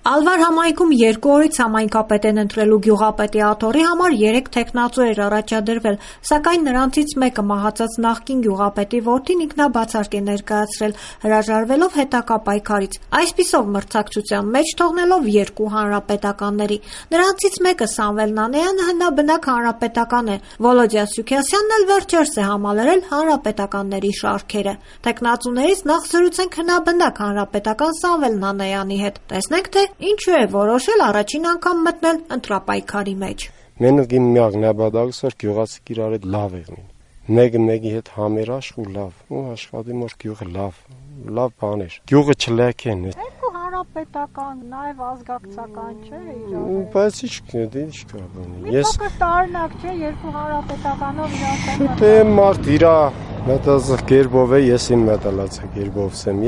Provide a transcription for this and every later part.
Ալվար համայնքում 2 օրից համայնքապետ են ընտրելու գյուղապետի աթոռի համար 3 թեկնածու էր առաջադրվել, սակայն նրանցից մեկը մահացած նախկին գյուղապետի որդին ինքնաբացարկ է ներկայացրել, հրաժարվելով հետագա պայքարից, այսպիսով մրցակցության մեջ թողնելով 2 հանրապետականների։ Նրանցից մեկը Սամվել Նանեյանը հնաբնակ հանրապետական է, Վոլոդյա Սուքիասյանն էլ վերջերս է համալրել հանրապետականների շարքերը։ Թեկնածուներից նախ զրուցենք հնաբնակ հանրապետական Սամվել Նանեյանի հետ։ Տեսնենք, թե ինչու է որոշել առաջին անգամ մտնել ընտրապայքարի մեջ։ Մենք իմ միակ նպատակս էր գյուղացիք իրար հետ լավ եղնին։ Մեկը մեկի հետ համերաշխ ու լավ, ու աշխատի որ գյուղը լավ բան էր։ Գյուղը չլեկեն։ Երկու հանրապետական, նաև ազգակցական չէ իրար։ Բայց ինչ կա բանի։ Ես տարօրինակ չէ, երկու հանրապետականով իրար։ Դե մարդ իրա մետազը գերբով է, ես իմ մետալացա գերբով եմ,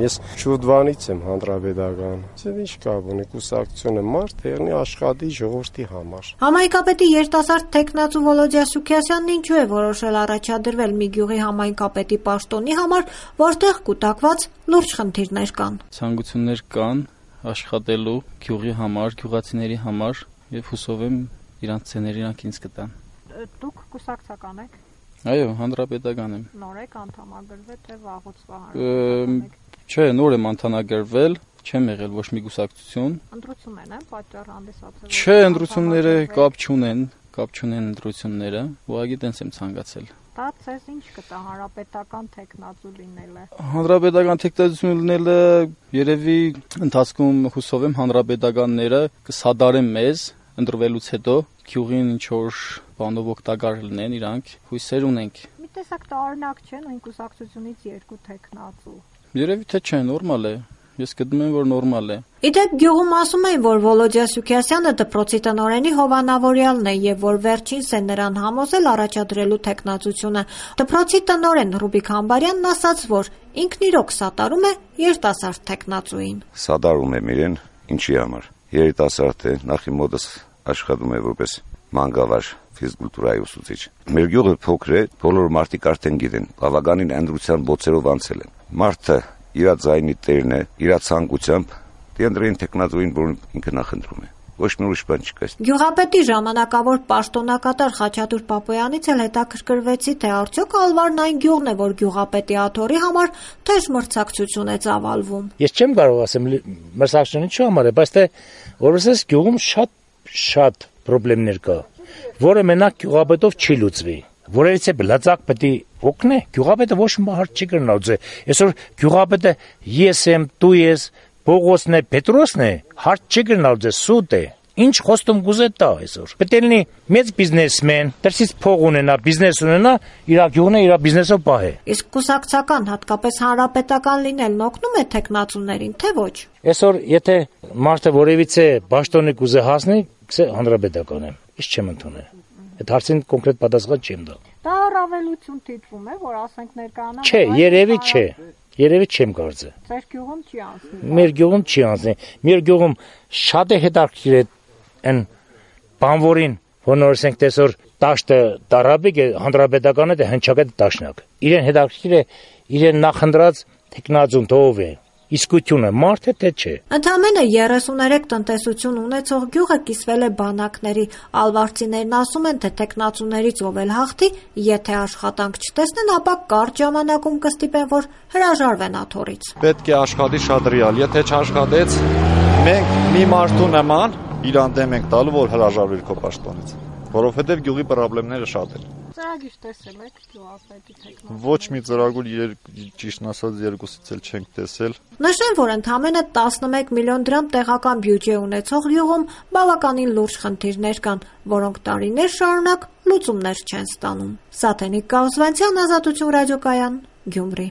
ես շուտվանից եմ հանրապետական։ Ձեր ինչ կա բանի, կուսակցությունը մարդ եղնի աշխատի ժողովրդի համար։ Համայնքապետի երիտասարդ թեկնածու Վոլոդյա Սուքիասյանն ինչու է որոշել առաջադրվել մի գյուղի համայնքապետի պաշտոնի համար, որտեղ կուտակված լուրջ խնդիրներ կան։ Ցանկություններ կան աշխատելու գյուղի համար, գյուղացիների համար եւ հուսով եմ իրանց ցեները իրանք ինձ կտան։ Դուք կուսակցական եք։ Այո, հանրապետական եմ։ Նոր եք անդամագրվել, թե վաղուց հանրապետական եք։ Չէ, նոր եմ անդամագրվել, չեմ եղել ոչ մի կուսակցություն։ Ընտրություններն են պատճառ հանդիսացել։ Չէ, ընտրությունները կապ չունեն ընտրությունները, ուղղակի տենց եմ ցանկացել։ Դա ցեզ ինչ կտա հանրապետական թեկնածու լինելը։ Հանրապետական թեկնածու լինելը երևի ընթացքում հուսով եմ հանրապետականները կսադարեն մեզ ընտրվելուց հետո գյուղին ինչ որ բանով օգտակար լինեն իրանք, հույսեր ունենք։ Մի տեսակ տարօրինակ չէ, նույն կուսակցությունից 2 թեկնածու։ Երևի թե չէ, նորմալ է։ Ես գտնում եմ, որ նորմալ է։ Իդեպ գյուղում ասում են, որ Վոլոդյա Սուքիասյանը դպրոցի տնօրենի հովանավորյալն է եւ որ վերջինս է նրան համոզել առաջադրելու թեկնածությունը։ Դպրոցի տնօրեն Ռուբիկ Համբարյանն ասաց, որ ինքն իրոք սատարում է երիտասարդ թեկնածուին։ Սատարում եմ իրեն, ինչի համար։ Երիտասարդ է, նախ իմ մոտս աշխատում է որպես մանկավար ֆիզկուլտուրայի ուսուցիչ։ Մեր գյուղը փոքր է, բոլոր մարդիկ արդեն գիտեն, բավականին ընտրության բոցերով անցել են։ Մարդը իր ձայնի տերն է, իր ցանկությամբ դինդրին տեխնազույն որ ինքը նախընտրում է։ Ոչ մի ուրիշ բան չկա։ Գյուղապետի ժամանակավոր պաշտոնակատար Խաչատուր Պապոյանից էլ հետաքրքրվեցի, թե արդյոք Ալվարն այն գյուղն է, որ գյուղապետի աթոռի համար թեժ մրցակցություն է ծավալվում։ Ես չեմ կարող ասեմ մրցակցությունը ինչու համար է, բայց թե որովհետեւ գյուղում շատ խնդիրներ կա, որը մենակ գյուղապետով չի լուծվի։ Որերից է լծակ պետք է օգնե, գյուղապետը ոչ մի հարց չի կրնալուծի։ Այսօր գյուղապետը ես եմ, դու ես, Պողոսն է, Պետրոսն է, հարց չի կրնալուծի, սուտ է։ Ինչ խոստում կուզե տա այսօր։ Պետք է լինի մեծ բիզնեսմեն, դրսից փող ունենա, բիզնես ունենա, իր գյուղն է, իր բիզնեսով պահե։ Իսկ կուսակցական, հատկապես հանրապետական լինելն օգնում է թեկնածուներին, թե ոչ։ Այսօր եթե մարդը որևիցե պաշտոնի կուզե հասնի, գսե հանրապետական եմ, ինչ չեմ ընդունել։ Այդ հարցին կոնկրետ պատասխան չեմ տա։ Դա առավելություն դիտվում է, որ ասենք ներկայանա։ Չէ, երևի չէ։ Երևի չեմ կարծը։ Ձեր գյուղում չի անցնի։ Մեր գյուղում չի անցնի։ Մեր գյուղում շատ է հետաքրքիր է այն բանվորին, որ նորսենք տեսոր տաշտը տարաբիկ է, հանրապետականը դե հնչակետ տաշնակ։ Իրեն հետաքրքիր է իրեն նախընտրած տեխնազուն թով է։ Իսկությունը մարդ է թե չէ։ Ընդամենը 33 տնտեսություն ունեցող գյուղը կիսվել է բանակների։ Ալվարցիներն ասում են, թե տեխնացուներից ով էլ հաղթի, եթե աշխատանք չտեսնեն, ապա կարճ ժամանակում կստիպեն, որ հրաժարվեն աթոռից։ Պետք է աշխատի շատ ռեալ, եթե չաշխատեց, մենք մի մարդու նման իրան դեմ ենք տալու, որ հրաժարվի քո պաշտոնից, որովհետև գյուղի խնդիրները շատ են։ Ծրագիր տեսել եք գյուղապետի թեկնածու։ Ոչ մի ծրագիր ճիշտն ասած երկուսից էլ չենք տեսել։ Նշեմ, որ ընդամենը 11 միլիոն դրամ տեղական բյուջե ունեցող գյուղում բավականին լուրջ խնդիրներ կան, որոնք տարիներ շարունակ լուծումներ չեն ստանում։ Սաթենիկ Կաուսվանցյան, Ազատություն ռադիոկայան, Գյումրի։